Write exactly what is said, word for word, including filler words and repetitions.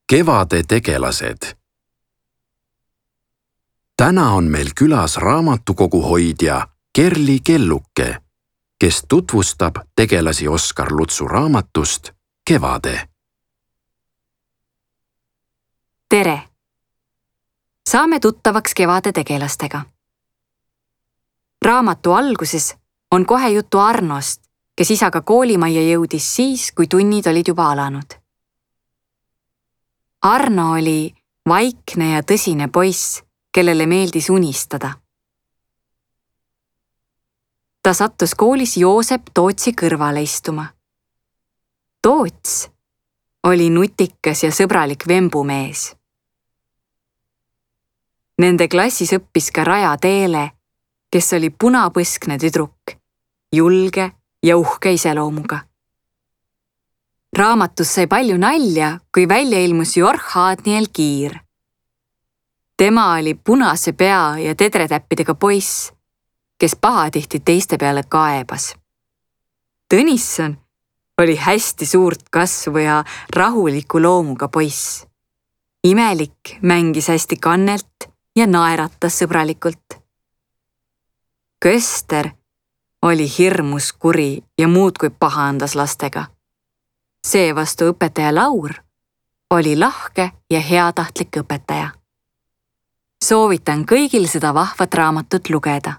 Kevade tegelased. Täna on meil külas raamatukogu hoidja Kerli Kelluke, kes tutvustab tegelasi Oskar Lutsu raamatust Kevade. Tere! Saame tuttavaks Kevade tegelastega. Raamatu alguses on kohe juttu Arnost, kes isaga koolimajja jõudis siis, kui tunnid olid juba alanud. Arno oli vaikne ja tõsine poiss, kellele meeldis unistada. Ta sattus koolis Joosep Tootsi kõrvale istuma. Toots oli nutikas ja sõbralik vembumees. Nende klassis õppis ka Raja Teele, kes oli punapõskne tüdruk, julge ja uhke iseloomuga. Raamatus sai palju nalja, kui välja ilmus Jorh Aadniel Kiir. Tema oli punase pea ja tedretäppidega poiss, kes pahatihti teiste peale kaebas. Tõnisson oli hästi suurt kasvu ja rahuliku loomuga poiss. Imelik mängis hästi kannelt ja naeratas sõbralikult. Köster oli hirmus kuri ja muudkui pahandas lastega. Seevastu õpetaja Laur oli lahke ja heatahtlik õpetaja. Soovitan kõigil seda vahvat raamatut lugeda.